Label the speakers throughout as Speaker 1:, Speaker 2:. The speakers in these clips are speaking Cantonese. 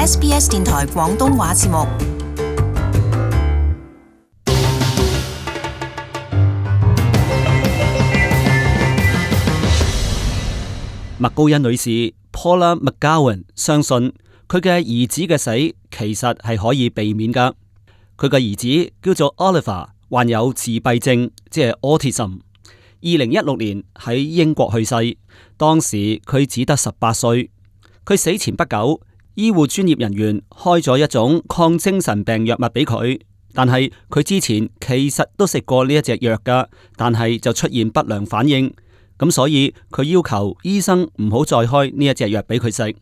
Speaker 1: SBS 電台廣東話節目。
Speaker 2: 麥高恩女士 Paula McGowan 相信佢嘅兒子嘅死其實係可以避免㗎。佢嘅兒子叫做 Oliver， 患有自閉症，即係 autism。2016年喺英國去世，當時佢只得18歲。佢死前不久，醫護專業人員開咗一種抗精神病藥物俾佢，但係佢之前其實都食過呢一隻藥㗎，但係就出現不良反應。咁所以佢要求醫生唔好再開呢一隻藥俾佢食。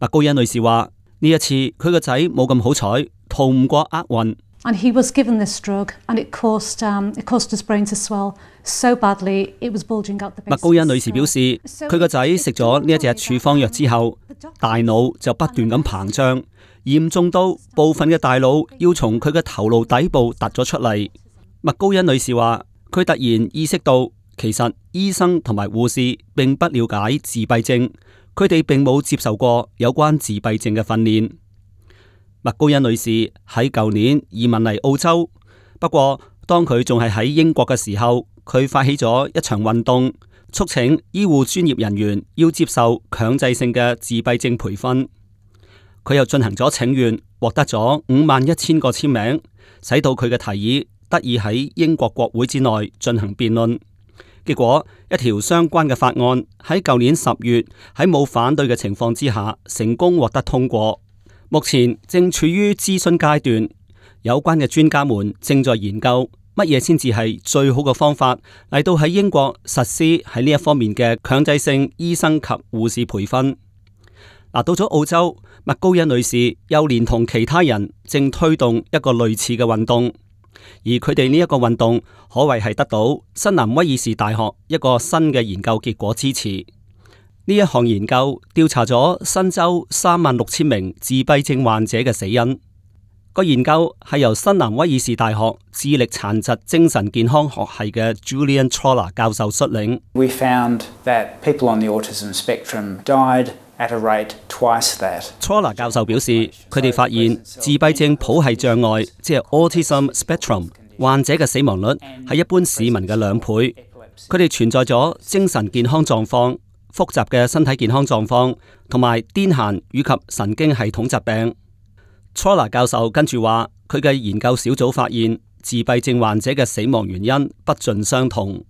Speaker 2: 麥高恩女士話：呢一次佢個仔冇咁好彩，逃唔過厄運。
Speaker 3: And he was given this drug, and it caused his brain to swell so badly it was bulging out the base.
Speaker 2: 麥高恩女士表示，佢個仔食咗呢一隻處方藥之後，大腦就不斷咁膨脹，嚴重到部分嘅大腦要從佢嘅頭顱底部突咗出嚟。麥高恩女士話：佢突然意識到，其實醫生同埋護士並不了解自閉症，佢哋並冇接受過有關自閉症嘅訓練。麥高恩女士喺舊年移民嚟澳洲，不過當佢仲係喺英國嘅時候，佢發起咗一場運動，促請醫護專業人員要接受強制性嘅自閉症培訓。佢又進行咗請願，獲得咗51,000個簽名，使到佢嘅提議得以喺英國國會之內進行辯論。結果一條相關嘅法案喺舊年10月喺冇反對嘅情況之下成功獲得通過，目前正處於諮詢階段。有關嘅專家們正在研究乜嘢先至係最好嘅方法嚟到喺英國實施喺呢一方面嘅強制性醫生及護士培訓。到咗澳洲，麥高恩女士又連同其他人正推動一個類似嘅運動。而佢哋呢一個運動可謂係得到新南威爾士大學一個新嘅研究結果支持。呢一項研究調查咗新州36,000名自閉症患者嘅死因。個研究係由新南威爾士大學智力殘疾精神健康學系嘅 Julian Troller 教授率領。
Speaker 4: We found that people on the autism spectrum died at a rate twice that.
Speaker 2: Troller 教授表示，佢哋發現自閉症譜系障礙，即係 autism spectrum 患者嘅死亡率係一般市民嘅2倍。佢哋存在咗精神健康狀況、複雜嘅身體健康狀況，同埋癲癇以及神經系統疾病。Troller 教授跟住話，佢嘅研究小組發現自閉症患者嘅死亡原因不盡相同。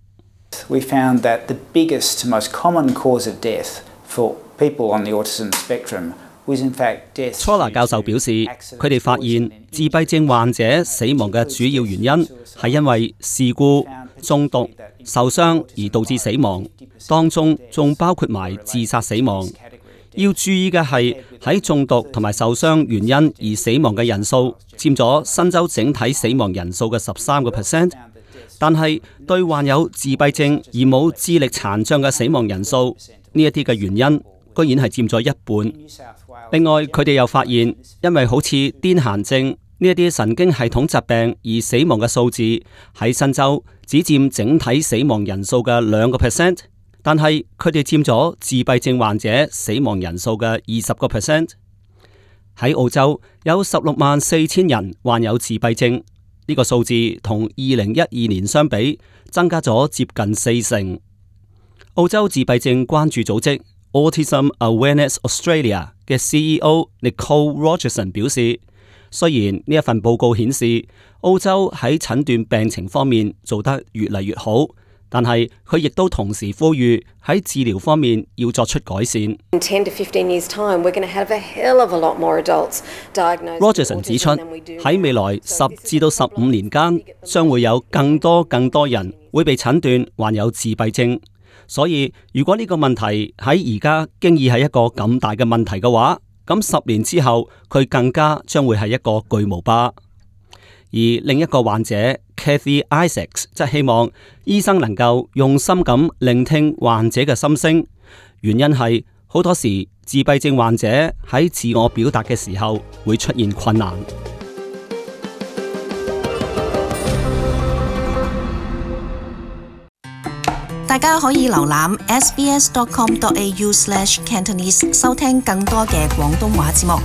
Speaker 4: We found that the biggest, most common cause of death for people on the autism spectrum was in fact death.
Speaker 2: Troller 教授表示，佢哋發現自閉症患者死亡嘅主要原因係因為事故、中毒、受傷而導致死亡，當中仲包括埋自殺死亡。要注意嘅係，喺中毒同埋受傷原因而死亡嘅人數佔咗新州整體死亡人數嘅13%，但係對患有自閉症而冇智力殘障嘅死亡人數呢一啲嘅原因，居然係佔咗1半。另外，佢哋又發現，因為好似癲癇症呢一啲神經系統疾病而死亡嘅數字喺新州只佔整體死亡人數嘅2%。但係佢哋佔咗自閉症患者死亡人數嘅20%。喺澳洲有164,000人患有自閉症，呢個數字同2012年相比增加咗接近40%。澳洲自閉症關注組織 Autism Awareness Australia 嘅 CEO Nicole Rogerson 表示，雖然呢一份報告顯示澳洲喺診斷病情方面做得越嚟越好，但係佢亦都同時呼籲喺治療方面要作出改善。Rogerson 指出，喺未來10至到15年間，將會有更多人會被診斷患有自閉症。所以，如果呢個問題喺而家經已係一個咁大嘅問題嘅話，咁10年之後，佢更加將會係一個巨無霸。而另一個患者 Kathy Isaacs 則希望醫生能夠用心咁聆聽患者嘅心聲，原因係好多時自閉症患者喺自我表達嘅時候會出現困難。
Speaker 1: 大家可以瀏覽 sbs.com.au/Cantonese 收聽更多嘅廣東話節目。